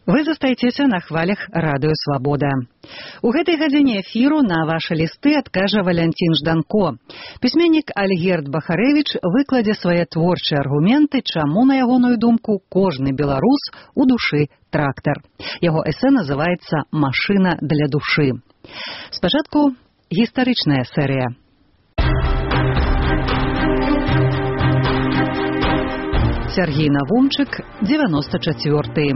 Вы застаецеся на хвалях радыё «Свабода». У гэтай гадзіне эфіру на вашы лісты адкажа Валянцін Жданко. Пісьменнік Альгерд Бахарэвіч выкладзе свае творчыя аргументы, чаму, на ягоную думку, кожны беларус у душы трактар. Яго эсэ называецца «Машына для душы». Спачатку гістарычная серыя. Сергей Навумчык, 94-й.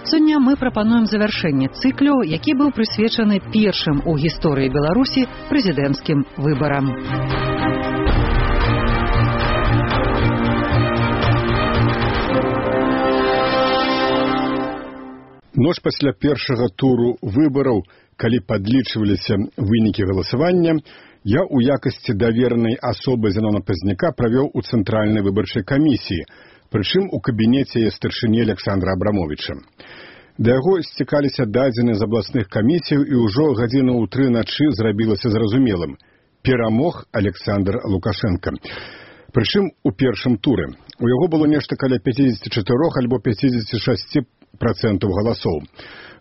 Сёння мы прапануем завяршэнне цыклю, які быў прысвечаны першым у гісторыі Беларусі прэзідэнцкім выбарам. Ноч пасля першага туру выбараў, калі падлічваліся вынікі галасавання, я ў якасці даверанай асобы Зянона Пазняка правёў у Цэнтральнай выбарчай камісіі, прычым у кабінеце яе старшыні Александра Абрамовича. Да яго сцікаліся дадзеныя з абласных камісіяў і ўжо гадзіну ў 3 начы зрабілася зразумелым. Перамог Александр Лукашенко. Прычым у першым туры. У яго было нешта каля 54 альбо 56% галасоў.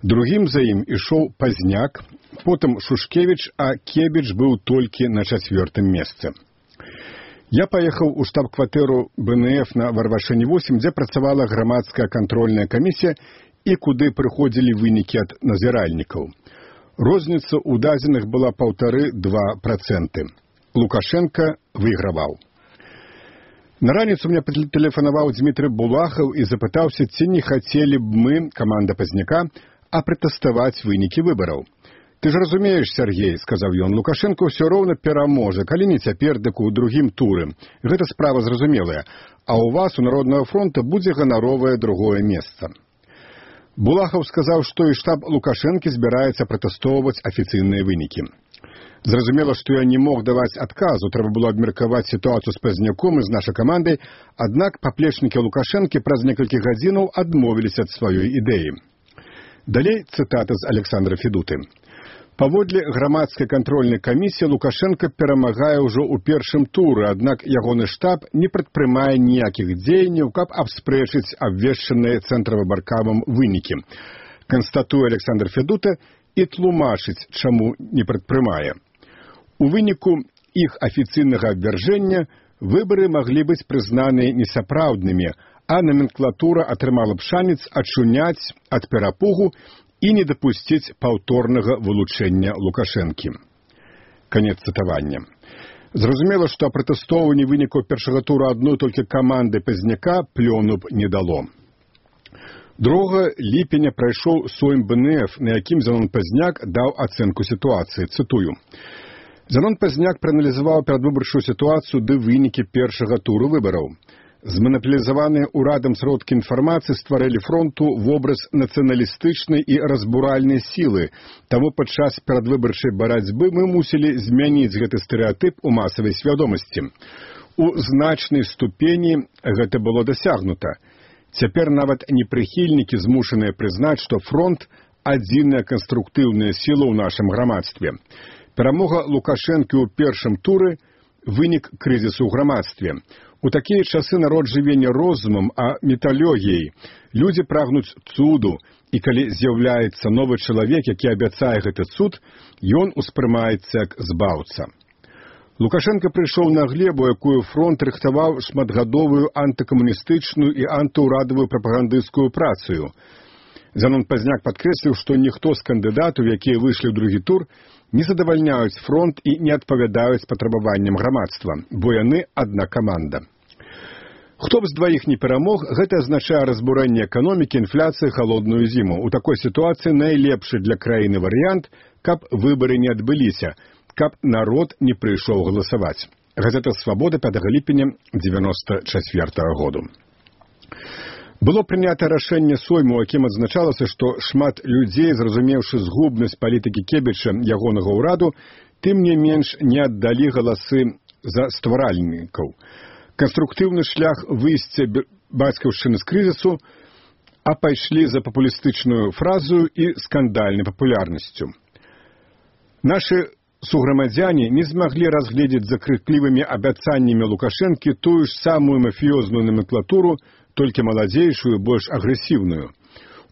Другім за ім ішоў Пазняк, потым Шушкевіч, а Кебіч быў толькі на 4-м месцы. Я паехаў у штаб-кватэру БНФ на Варвашыне 8, дзе працавала грамадская кантрольная камісія і куды прыходзілі вынікі ад назіральнікаў. Розніца ў дадзеных была 1,5–2%. Лукашенко выйграваў. На раніцу мне тэлефанаваў Дмітрый Булахаў і запытаўся, ці не хацелі б мы, каманда Пазняка, апратэставаць вынікі выбараў. «Ты ж разумееш, Сергей, — сказаў ён, — Лукашенко ўсё роўна пераможа, калі не цяпер, дык у другім туры. Гэта справа зразумелая, а ў вас, у Народнага фронта, будзе ганаровае другое месца». Булахаў сказаў, што і штаб Лукашэнкі збіраецца пратэстоўваць афіцыйныя вынікі. Зразумела, што я не мог даваць адказу, трэба было абмеркаваць сітуацыю з Пазняком і з нашай камандай, аднак паплечнікі Лукашэнкі праз некалькі гадзінаў адмовіліся ад сваёй ідэі. Далей цытата з Александра Федуты. Паводле грамадскай кантрольнай камісіі Лукашенко перамагае ўжо ў першым туры, аднак ягоны штаб не прадпрымае ніякіх дзеянняў, каб абспрэчыць абвешчаныя цэнтравыбаркамам вынікі. Канстатуе Александр Федута і тлумачыць, чаму не прадпрымае. У выніку іх афіцыйнага абвяржэння выбары маглі быць прызнаныя несапраўднымі, а номенклатура атрымала б шанец ачуняць ад перапугу і не дапусціць паўторнага вылучэння Лукашэнкі. Канец цытавання. Зразумела, што апратэстоўванне вынікаў першага тура адной толькі каманды Пазняка плёну б не дало. 2 ліпеня прайшоў сойм БНФ, на якім Зянон Пазняк даў ацэнку сітуацыі. Цытую. Зянон Пазняк прааналізаваў перадвыбарчую сітуацыю ды вынікі першага туру выбараў. Зманапілізаваныя ўрадам сродкі інфармацыі стварылі фронту вобраз нацыяналістычнай і разбуральнай сілы. Таму падчас перадвыбарчай барацьбы мы мусілі змяніць гэты стэрэатып у масавай свядомасці. У значнай ступені гэта было дасягнута. Цяпер нават непрыхільнікі змушаныя прызнаць, што фронт – адзіная канструктыўная сіла ў нашым грамадстве. Перамога Лукашэнкі ў першым туры – вынік крызісу ў грамадстве. У такія часы народ жыве не розумам, а металогіяй. Людзі прагнуць цуду, і калі з'яўляецца новы чалавек, які абяцае гэты цуд, ён успрымаецца як збаўца. Лукашенко прыйшоў на глебу, якую фронт рыхтаваў шматгадовую антыкамуністычную і антыўрадавую прапагандысцкую працу. Зянон Пазняк падкрэсліў, што ніхто з кандыдатаў, якія выйшлі ў другі тур, не задавальняюць фронт і не адпавядаюць патрабаванням грамадства, бо яны адна каманда. Хто б з дваіх не перамог, гэта азначае разбурэнне эканомікі, інфляцыі, халодную зіму. У такой сітуацыі найлепшы для краіны варыянт, каб выбары не адбыліся, каб народ не прыйшоў галасаваць. Газета «Свабода» 5 ліпеня 94 году. Было прынята рашэнне сойму, у якім адзначалася, што шмат людзей, зразумеўшы згубнасць палітыкі Кебіча, ягонага ўраду, тым не менш не аддалі галасы за стваральнікаў. Канструктыўны шлях выйсця бацькаўшчыны з крызісу, а пайшлі за папулістычную фразу і скандальнай папулярнасцю. Нашы суграмадзяне не змаглі разгледзець за крыклівымі абяцаннямі Лукашэнкі тую ж самую мафіёзную номенклатуру, толькі маладзейшую, больш агрэсіўную.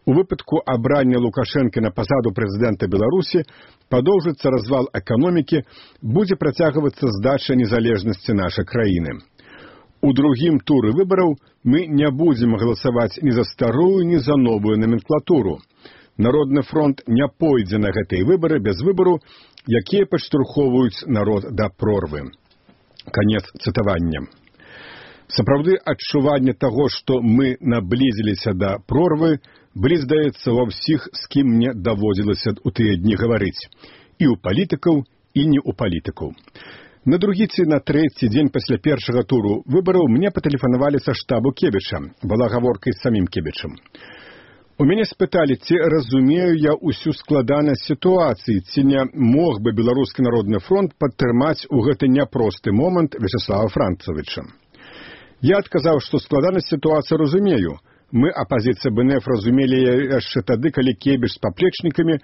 У выпадку абрання Лукашэнкі на пасаду прэзідэнта Беларусі падоўжыцца развал эканомікі, будзе працягвацца здача незалежнасці нашай краіны. У другім туры выбараў мы не будзем галасаваць ні за старую, ні за новую номенклатуру. Народны фронт не пойдзе на гэтыя выбары без выбару, якія падштурхоўваюць народ да прорвы. Канец цытавання. Сапраўды адчуванне таго, што мы наблізіліся да прорвы, былі, здаецца, ва ўсіх, з кім мне даводзілася ў тыя дні гаварыць. І ў палітыкаў, і не ў палітыкаў. На другі ці на трэці дзень пасля першага туру выбараў мне патэлефанавалі са штабу Кебіча, была гаворка з самім Кебічам. У мяне спыталі, ці разумею я ўсю складанасць сітуацыі, ці не мог бы Беларускі народны фронт падтрымаць у гэты няпросты момант Вячеслава Францавіча. Я адказаў, што складанасць сітуацыі разумею. Мы, апазіцыя БНФ, разумелі яшчэ тады, калі Кебіч з паплечнікамі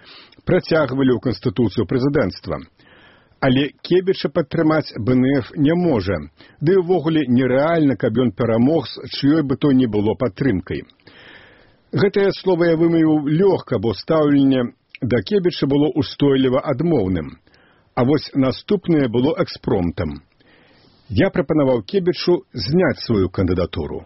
працягвалі ў канстытуцыю прэзідэнцтва. Але Кебіча падтрымаць БНФ не можа, ды ўвогуле нерэальна, каб ён перамог з чыёй бы то ні было падтрымкай. Гэтае слова я вымавіў лёгка, бо стаўленне да Кебіча было устойліва адмоўным. А вось наступнае было экспромтам. Я прапанаваў Кебічу зняць сваю кандыдатуру.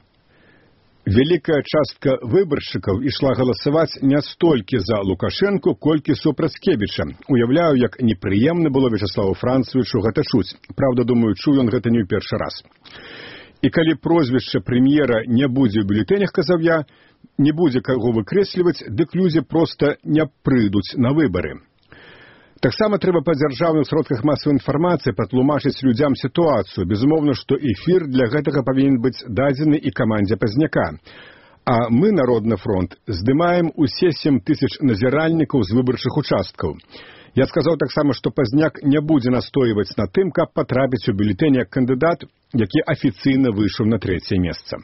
Вялікая частка выбаршчыкаў ішла галасаваць не столькі за Лукашэнку, колькі супраць Кебіча. Уяўляю, як непрыемна было Вячеславу Францавічу гэта чуць. Праўда, думаю, чуў ён гэта не ў першы раз. І калі прозвішча прэм'ера не будзе ў бюлетэнях, казаў я, не будзе каго выкрэсліваць, дык людзі проста не прыйдуць на выбары. Таксама трэба па дзяржаўных сродках масавай інфармацыі патлумачыць людзям сітуацыю. Безумоўна, што эфір для гэтага павінен быць дадзены і камандзе Пазняка. А мы, Народны фронт, здымаем усе 7 000 назіральнікаў з выбарчых участкаў. Я сказаў таксама, што Пазняк не будзе настойваць на тым, каб патрапіць у бюлетэнь як кандыдат, які афіцыйна выйшаў на 3е месца.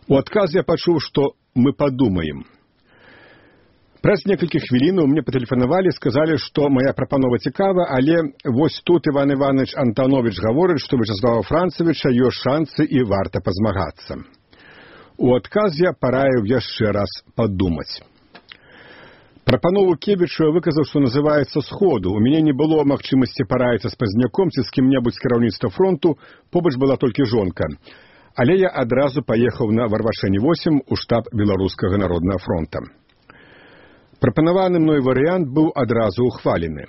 У адказ я пачуў, што мы падумаем. Праз некалькі хвілінаў мне патэлефанавалі, сказалі, што моя прапанова цікава, але вось тут Іван Іванович Антонович гаворыць, што Вячеслава Францавіча ёсць шансы і варта пазмагацца. У адказ я параіў яшчэ раз падумаць. Прапанову Кебічу я выказаў, што называецца сходу. У мяне не было магчымасці параіцца з Пазняком ці з кім-небудзь з кіраўніцтва фронту, побач была толькі жонка. Але я адразу паехаў на Варвашэні-8 у штаб Беларускага народнага фронта. Прапанаваны мной варыянт быў адразу ухвалены.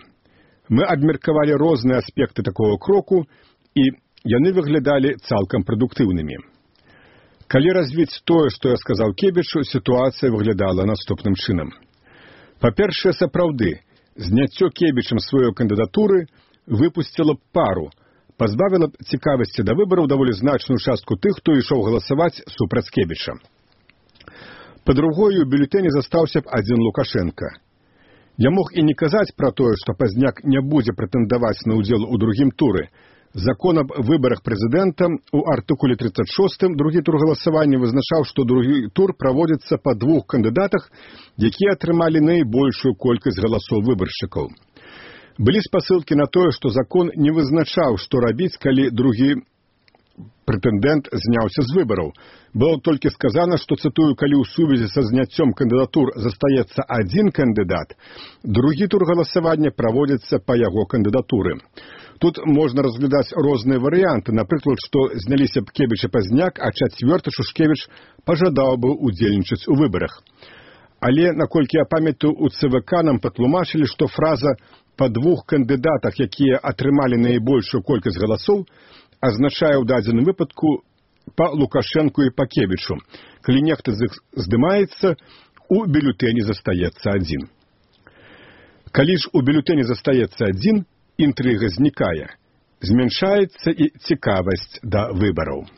Мы абмеркавалі розныя аспекты такого кроку, і яны выглядалі цалкам прадуктыўнымі. Калі развіць тое, што я сказаў Кебічу, сітуацыя выглядала наступным чынам. Па-першае, сапраўды, зняццё Кебічам сваёй кандыдатуры выпусціла б пару, пазбавіла б цікавасці да выбараў даволі значную частку тых, хто ішоў галасаваць супраць Кебіча. Па-другое, у бюлетэні застаўся б адзін Лукашэнка. Я мог і не казаць пра тое, што Пазняк не будзе прэтэндаваць на ўдзел у другім туры. Закон аб выбарах прэзідэнта у артыкуле 36 другі тур галасавання вызначаў, што другі тур праводзіцца па 2 кандыдатах, якія атрымалі найбольшую колькасць галасоў выбаршчыкаў. Былі спасылкі на тое, што закон не вызначаў, што рабіць, калі другі прэтэндэнт зняўся з выбараў. Было толькі сказана, што, цытую, калі ў сувязі са зняццём кандыдатур застаецца адзін кандыдат, другі тур галасавання праводзіцца па яго кандыдатуры. Тут можна разглядаць розныя варыянты, напрыклад, што зняліся б Кебіч і Пазняк, а чацвёрты Шушкевіч пажадаў бы удзельнічаць у выбарах. Але, наколькі я памятаю, у ЦВК нам патлумачылі, што фраза «па 2 кандыдатах, якія атрымалі найбольшую колькасць галасоў», азначае ў дадзеным выпадку па Лукашэнку і па Кебічу. Калі нехта з іх здымаецца, у бюлетэні застаецца адзін. Калі ж у бюлетэні застаецца адзін, інтрыга знікае. Змяншаецца і цікавасць да выбараў.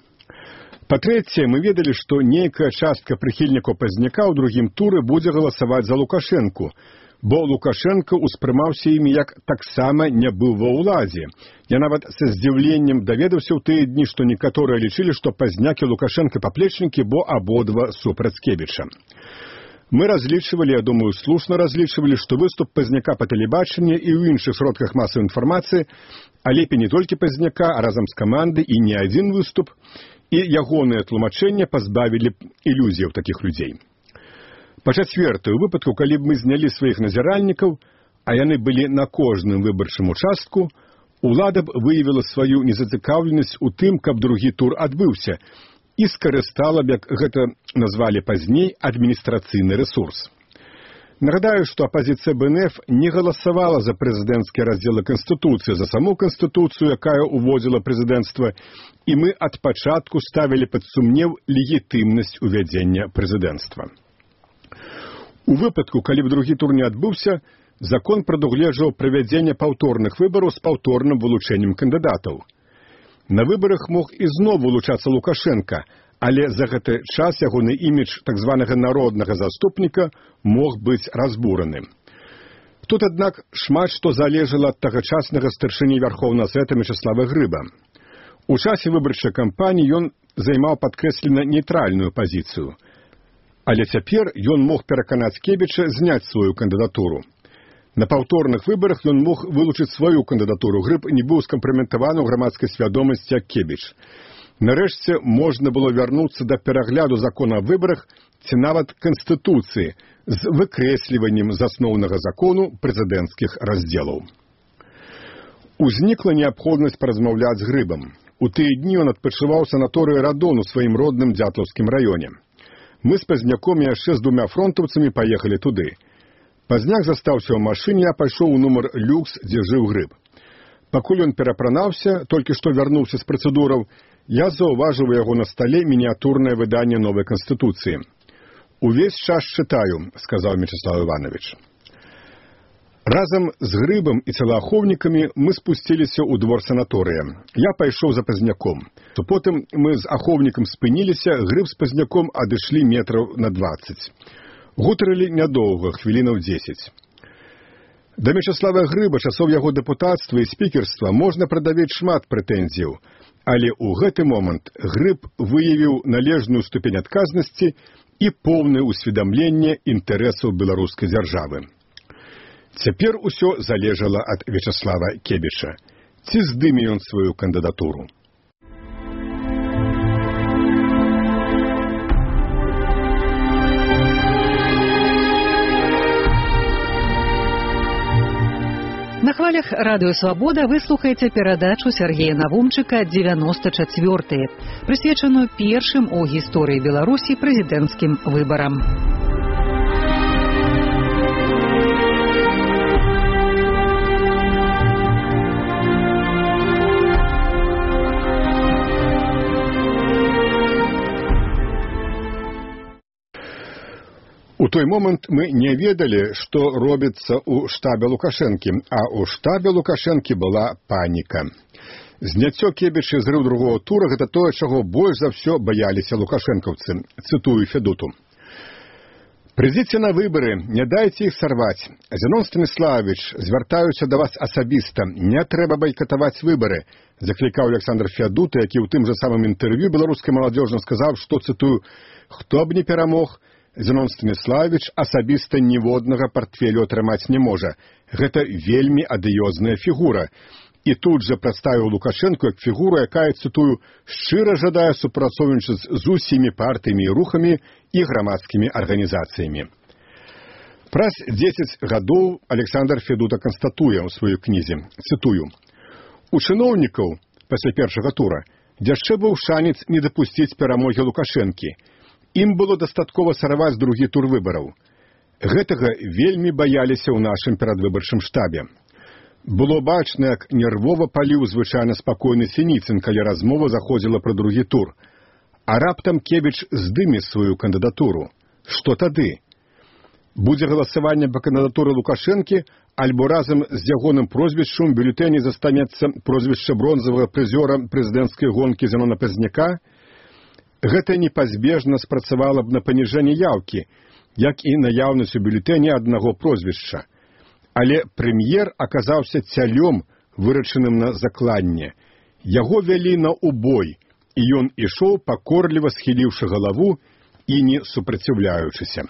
Па-трэцяе, мы ведалі, што нейкая частка прыхільнікаў Пазняка ў другім туры будзе галасаваць за Лукашэнку, бо Лукашэнка ўспрымаўся імі як таксама не быў ва ўладзе. Я нават са здзіўленнем даведаўся ў тыя дні, што некаторыя лічылі, што Пазняк і Лукашэнка паплечнікі, бо абодва супраць Кебіча. Мы разлічвалі, я думаю, слушна разлічвалі, што выступ Пазняка па тэлебачанні і ў іншых сродках масавай інфармацыі, а лепей не толькі Пазняка, а разам з камандай і не адзін выступ, і ягоныя тлумачэння пазбавілі б ілюзіяў такіх людзей. Па-чацвёртае, у выпадку, калі б мы знялі сваіх назіральнікаў, а яны былі на кожным выбарчым участку, улада б выявіла сваю незацікаўленасць у тым, каб другі тур адбыўся, і скарыстала б, як гэта назвалі пазней, адміністрацыйны рэсурс. Нагадаю, што апазіцыя БНФ не галасавала за прэзідэнцкія раздзелы Канстытуцыі, за саму Канстытуцыю, якая уводзіла прэзідэнцтва, і мы ад пачатку ставілі пад сумнеў легітымнасць увядзення прэзідэнцтва. У выпадку, калі б другі тур не адбыўся, закон прадугледжваў правядзенне паўторных выбараў з паўторным вылучэннем кандыдатаў. На выбарах мог ізноў вылучацца Лукашенка, але за гэты час ягоны імідж так званага народнага заступніка мог быць разбураны. Тут, аднак, шмат што залежала ад тагачаснага старшыні Вярхоўнага Савета Мячеслава Грыба. У часе выбарчай кампаніі ён займаў падкрэслена нейтральную пазіцыю. Але цяпер ён мог пераканаць Кебіча зняць сваю кандыдатуру. На паўторных выбарах ён мог вылучыць сваю кандыдатуру. Грыб не быў скампраметаваны ў грамадскай свядомасці як Кебіч. Нарэшце можна было вярнуцца да перагляду закона аб выбарах ці нават Канстытуцыі з выкрэсліваннем з асноўнага закону прэзідэнцкіх раздзелаў. Узнікла неабходнасць паразмаўляць з Грыбам. У тыя дні ён адпачываў у санаторыі Радон у сваім родным Дзятлаўскім раёне. Мы з Пазняком і яшчэ з 2 фронтаўцамі паехалі туды. Пазняк застаўся ў машыне, а пайшоў у нумар люкс, дзе жыў Грыб. Пакуль ён перапранаўся, толькі што вярнуўся з працэдураў, я заўважыў у яго на стале мініатурнае выданне новай Канстытуцыі. «Увесь час чытаю», — сказаў Мячеслав Іванович. Разам з Грыбам і целаахоўнікамі мы спусціліся ў двор санаторыя. Я пайшоў за Пазняком. Потым мы з ахоўнікам спыніліся, Грыб з Пазняком адышлі метраў на 20. Гутарылі нядоўга, хвілінаў 10. Да Мячеслава Грыба, часоў яго дэпутацтва і спікерства, можна прадавіць шмат прэтэнзіяў, але ў гэты момант Грыб выявіў належную ступень адказнасці і поўнае ўсведамленне інтарэсаў беларускай дзяржавы. Цяпер усё залежала ад Вячеслава Кебіча. Ці здыме ён сваю кандыдатуру? На хвалях радыё «Свабода» вы слухаеце перадачу Сергея Навумчыка «94-е», прысвечаную першым у гісторыі Беларусі прэзідэнцкім выбарам. У той момант мы не ведалі, што робіцца ў штабе Лукашэнкі, а ў штабе Лукашэнкі была паніка. Зняццё Кебіча і зрыў другого тура – гэта тое, чаго больш за ўсё баяліся лукашэнкаўцы. Цытую Федуту. «Прыйдзіце на выбары, не дайце іх сарваць. Зенон Станіславович, звяртаюся да вас асабіста, не трэба байкатаваць выбары», заклікаў Александр Федута, які ў тым жа самым інтэрв'ю беларускай маладзёжы сказаў, што, цытую, «хто б не перамог, Зенон Станіславович асабіста ніводнага партфелю атрымаць не можа. Гэта вельмі адыёзная фігура». І тут жа прадставіў Лукашэнку як фігуру, якая, цытую, «шчыра жадае супрацоўнічаць з усімі партыямі і рухамі і грамадскімі арганізацыямі». Праз 10 гадоў Александр Федута канстатуе ў сваёй кнізе, цытую, «У чыноўнікаў пасля першага тура яшчэ быў шанец не дапусціць перамогі Лукашэнкі. Ім было дастаткова сарваць другі тур выбараў. Гэтага вельмі баяліся ў нашым перадвыбарчым штабе. Было бачна, як нервова паліў звычайна спакойны Сініцын, калі размова заходзіла пра другі тур. А раптам Кебіч здыме сваю кандыдатуру. Што тады? Будзе галасаванне па кандыдатуры Лукашэнкі, альбо разам з ягоным прозвішчам у бюлетэні застанецца прозвішча бронзавага прызёра прэзідэнцкай гонкі Зенона Пазняка? Гэта непазбежна спрацавала б на паніжэнне яўкі, як і наяўнасць у бюлетэні аднаго прозвішча. Але прэм'ер аказаўся цялём, вырашаным на закладне. Яго вялі на убой, і ён ішоў, пакорліва схіліўшы галаву і не супраціўляючыся.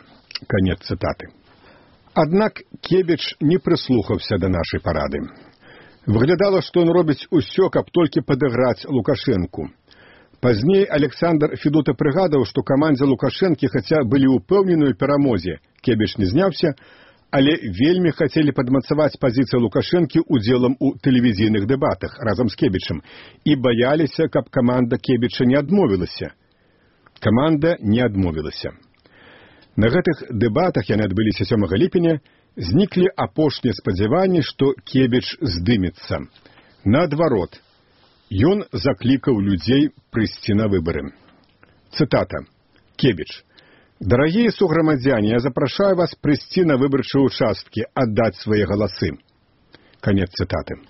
Канец цытаты. Аднак Кебіч не прыслухаўся да нашай парады. Выглядала, што ён робіць усё, каб толькі падыграць Лукашэнку. Пазней Александр Федута прыгадаў, што камандзе Лукашэнкі хаця былі ўпэўнены ў перамозе, Кебіч не зняўся, але вельмі хацелі падмацаваць пазіцыю Лукашэнкі удзелам у тэлевізійных дэбатах разам з Кебічам і баяліся, каб каманда Кебіча не адмовілася. Каманда не адмовілася. На гэтых дэбатах, яны адбыліся 7 ліпеня, зніклі апошнія спадзяванні, што Кебіч здымецца. Наадварот, ён заклікаў людзей прыйсці на выбары. Цытата. Кебіч. «Дорогие суграмадзяне, я запрашаю вас прыйсці на выбарчыя участкі, аддаць свае галасы». Канец цытаты.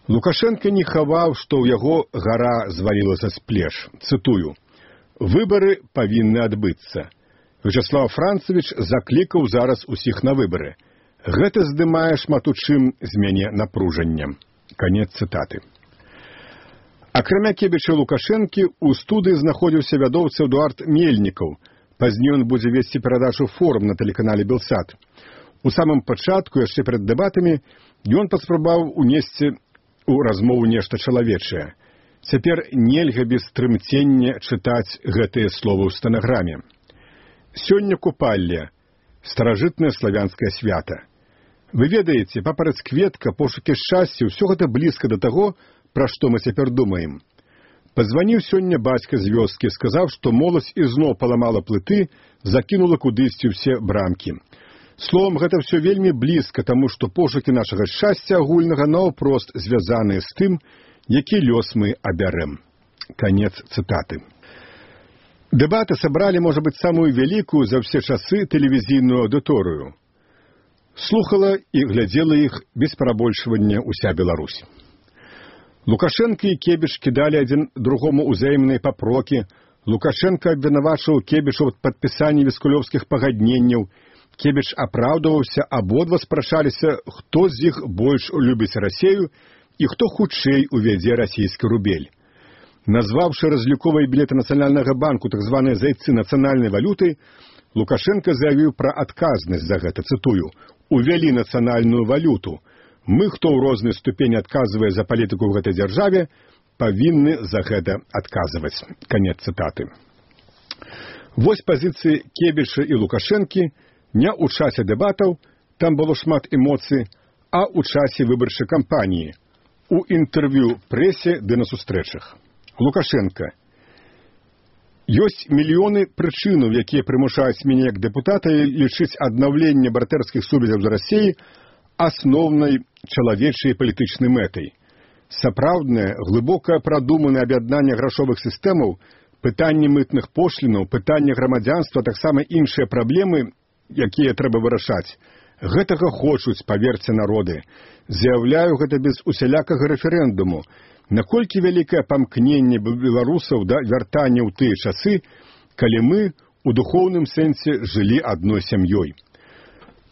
Лукашенко не хаваў, што ў яго гара звалілася з плеч. Цытую. «Выбары павінны адбыцца. Вячеслав Францевич заклікаў зараз усіх на выбары. Гэта здымае шмат у чым з мяне напружанне». Канец цытаты. Акрамя Кебіча і Лукашэнкі, у студыі знаходзіўся вядоўца Эдуард Мельнікаў. Пазней ён будзе весці перадачу «Форум» на тэлеканале «Белсат». У самым пачатку, яшчэ перад дэбатамі, ён паспрабаваў унесці ў размову нешта чалавечае. Цяпер нельга без трымцення чытаць гэтыя словы ў стэнаграме. Сёння купалле, старажытнае славянскае свята. Вы ведаеце, папараць-кветка, пошукі шчасця, ўсё гэта блізка да таго, пра што мы цяпер думаем. Пазваніў сёння бацька з вёскі, сказаў, што моладзь ізноў паламала плыты, закінула кудысьці ўсе брамкі. Словам, гэта ўсё вельмі блізка, таму што пошукі нашага шчасця агульнага наўпрост звязаныя з тым, які лёс мы абярэм. Канец цытаты. Дэбаты сабралі, можа быць, самую вялікую за ўсе часы тэлевізійную аўдыторыю. Слухала і глядзела іх без перабольшвання ўся Беларусь. Лукашенко і Кебіч кідалі адзін другому ўзаемныя папрокі. Лукашенко абвінавачваў Кебіча ў падпісанні віскулёўскіх пагадненняў. Кебіч апраўдаваўся, абодва спрачаліся, хто з іх больш любіць Расею і хто хутчэй увядзе расійскі рубель. Назваўшы разліковыя білеты Нацыянальнага банку так званыя зайцы нацыянальнай валюты, Лукашенко заявіў пра адказнасць за гэта, цытую, «Увялі нацыянальную валюту. Мы, хто ў рознай ступені адказвае за палітыку ў гэтай дзяржаве, павінны за гэта адказваць». Канец цытаты. Вось пазіцыі Кебіча і Лукашэнкі не ў часе дэбатаў, там было шмат эмоцый, а ў часе выбарчай кампаніі, у інтэрв'ю прэсе ды на сустрэчах. Лукашенко. Ёсць мільёны прычынаў, якія прымушаюць мяне як дэпутата лічыць аднаўленне братэрскіх сувязяў з Расіяй асноўнай чалавечай палітычнай мэтай. Сапраўднае, глыбока прадуманае аб'яднанне грашовых сістэмаў, пытанне мытных пошлінаў, пытанне грамадзянства, таксама іншыя праблемы, якія трэба вырашаць. Гэтага хочуць, паверце, народы. Заяўляю гэта без усялякага рэферэндуму. Наколькі вялікае памкненне беларусаў да вяртання ў тыя часы, калі мы у духоўным сэнсе жылі адной сям'ёй.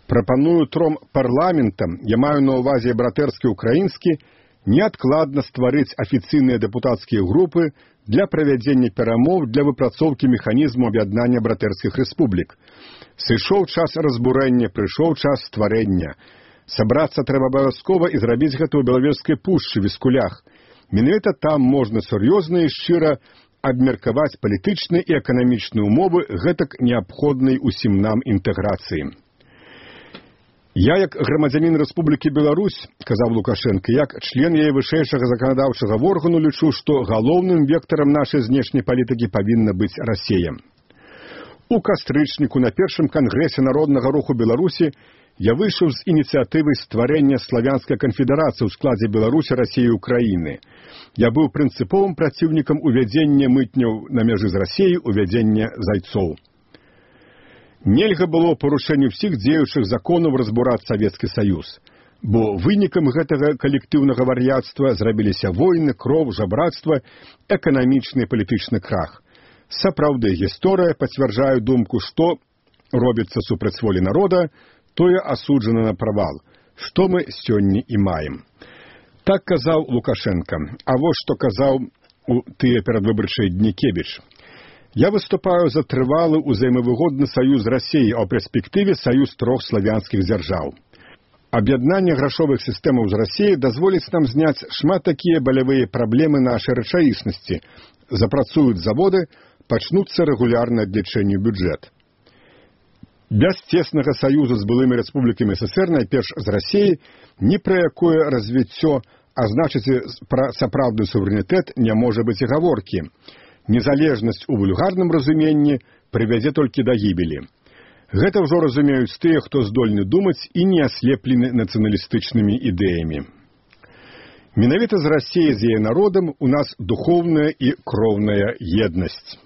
Прапаную тром парламентам, я маю на ўвазе братэрскі украінскі, неадкладна стварыць афіцыйныя дэпутацкія групы для правядзення перамоў для выпрацоўкі механізму аб'яднання братэрскіх рэспублік. Сышоў час разбурэння, прыйшоў час стварэння. Сабрацца трэба абавязкова і зрабіць гэта ў Белавежскай пушчы, Віскулях. Менавіта там можна сур'ёзна і шчыра абмеркаваць палітычныя і эканамічныя ўмовы гэтак неабходнай усім нам інтэграцыі. Я, як грамадзянін Рэспублікі Беларусь, казаў Лукашенко, як член яе вышэйшага заканадаўчага органу лічу, што галоўным вектарам нашай знешняй палітыкі павінна быць Расія. У кастрычніку на першым кангрэсе Народнага руху Беларусі я выйшаў з ініцыятывай стварэння славянскай канфедэрацыі ў складзе Беларусі, Расіі і Украіны. Я быў прынцыповым праціўнікам увядзення мытняў на мяжы з Расіяй, увядзення зайцоў. Нельга было парушэнню ўсіх дзеючых законаў разбураць Савецкі Саюз, бо вынікам гэтага калектыўнага вар'яцтва зрабіліся войны, кроў, жабрацтва, эканамічны і палітычны крах. Сапраўды, гісторыя пацвярджае думку, што робіцца супраць волі народа, тое асуджана на правал, што мы сёння і маем. Так казаў Лукашенко, а вось што казаў у тыя перадвыбарчыя дні Кебіч. Я выступаю за трывалы ўзаемавыгодны саюз з Расіяй, а ў перспектыве саюз трох славянскіх дзяржаў. Аб'яднанне грашовых сістэмаў з Расіі дазволіць нам зняць шмат такія балявыя праблемы нашай рэчаіснасці. Запрацуюць заводы, пачнуцца рэгулярнае адлічэнне бюджэт. Без цеснага саюзу з былымі рэспублікамі ССР, найперш з Расіі, ні пра якое развіццё, а значыць, пра сапраўдны суверэнітэт не можа быць і гаворкі. Незалежнасць у вульгарным разуменні прывядзе толькі да гібелі. Гэта ўжо разумеюць тыя, хто здольны думаць і не аслеплены нацыяналістычнымі ідэямі. Менавіта з Расіяй, з яе народам, у нас духоўная і кроўная еднасць.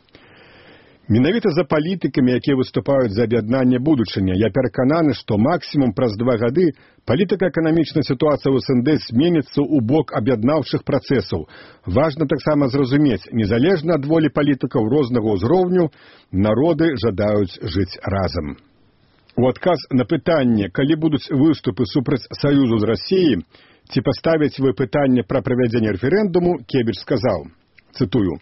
Менавіта за палітыкамі, якія выступаюць за аб'яднанне будучыня, я перакананы, што максімум праз 2 гады палітыка-эканамічная сітуацыя ў СНД зменіцца ў бок аб'яднаўчых працэсаў. Важна таксама зразумець, незалежна ад волі палітыкаў рознага ўзроўню, народы жадаюць жыць разам. У адказ на пытанне, калі будуць выступы супраць саюзу з Расіяй, ці паставяць вы пытанне пра правядзенне рэферэндуму, Кебіч сказаў, цытую,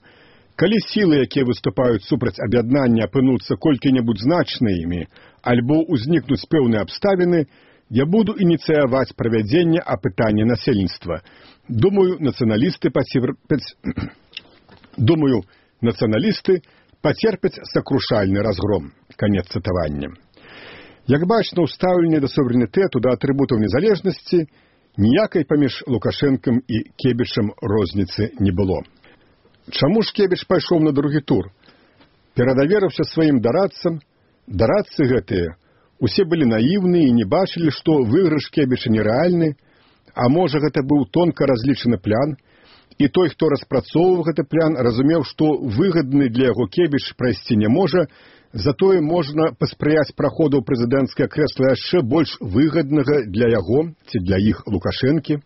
«Калі сілы, якія выступаюць супраць аб'яднання, апынуцца колькі-небудзь значнымі, альбо ўзнікнуць пэўныя абставіны, я буду ініцыяваць правядзенне апытання насельніцтва. Думаю, нацыяналісты пацерпяць сакрушальны разгром». Канец цытавання. Як бачна, у стаўленні да суверэнітэту, да атрыбутаў незалежнасці, ніякай паміж Лукашэнкам і Кебічам розніцы не было. Чаму ж Кебіч пайшоў на другі тур? Перадаверыўся сваім дарадцам. Дарадцы гэтыя усе былі наіўныя і не бачылі, што выйгрыш Кебіча нерэальны, а можа гэта быў тонка разлічаны план, і той, хто распрацоўваў гэты план, разумеў, што выгадны для яго Кебіч прайсці не можа, затое можна паспрыяць праходу ў прэзідэнцкае крэсла яшчэ больш выгаднага для яго ці для іх Лукашэнкі.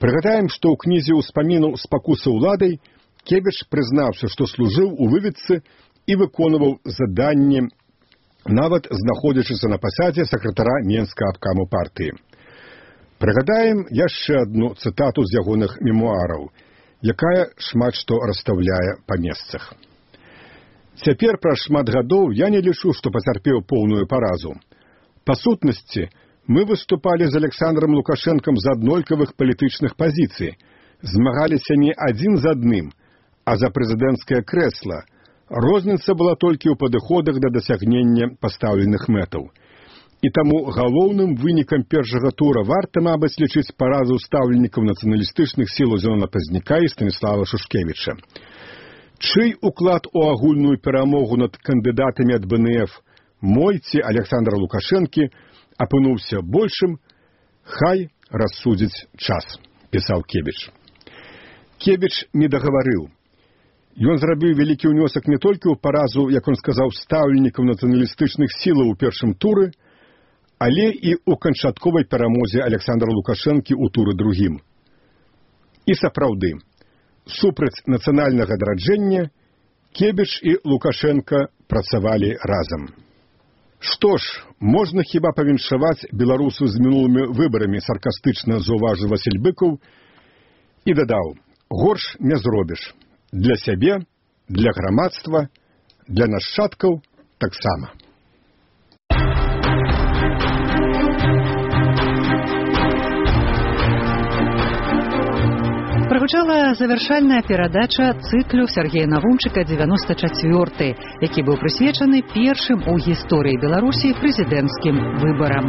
Прыгадаем, што ў кнізе ўспамінаў «Спакуса ўладай» Кебіч прызнаўся, што служыў у выведцы і выконваў заданні, нават знаходзячыся на пасадзе сакратара Менскага абкаму партыі. Прыгадаем яшчэ адну цытату з ягоных мемуараў, якая шмат што расстаўляе па месцах. Цяпер праз шмат гадоў я не лічу, што пацярпеў поўную паразу. Па сутнасці, мы выступалі з Александром Лукашэнкам з аднолькавых палітычных пазіцый, змагаліся не адзін з адным, а за прэзідэнцкае крэсла. Розніца была толькі ў падыходах да дасягнення пастаўленых мэтаў. І таму галоўным вынікам першага тура варта, мабыць, лічыць паразу стаўленнікаў нацыяналістычных сілаў Зенона Пазняка і Станіслава Шушкевіча. Чый уклад у агульную перамогу над кандыдатамі ад БНФ, мой ці Александра Лукашэнкі, апынуўся большым, хай рассудзіць час, пісаў Кебіч. Кебіч не дагаварыў. Ён зрабіў вялікі ўнёсак не толькі ў паразу, як он сказаў, стаўленнікаў нацыяналістычных сілаў у першым туры, але і ў канчатковай перамозе Александра Лукашэнкі ў туры другім. І сапраўды, супраць нацыянальнага адраджэння Кебіч і Лукашэнка працавалі разам. Што ж, можна хіба павіншаваць беларусу з мінулымі выбарамі, саркастычна заўважыў Васіль Быкаў і дадаў, горш не зробіш. Для сябе, для грамадства, для нашчадкаў таксама. Прагучала завяршальная перадача цыклю Сергея Навумчыка «94», які быў прысвечаны першым у гісторыі Беларусі прэзідэнцкім выбарам.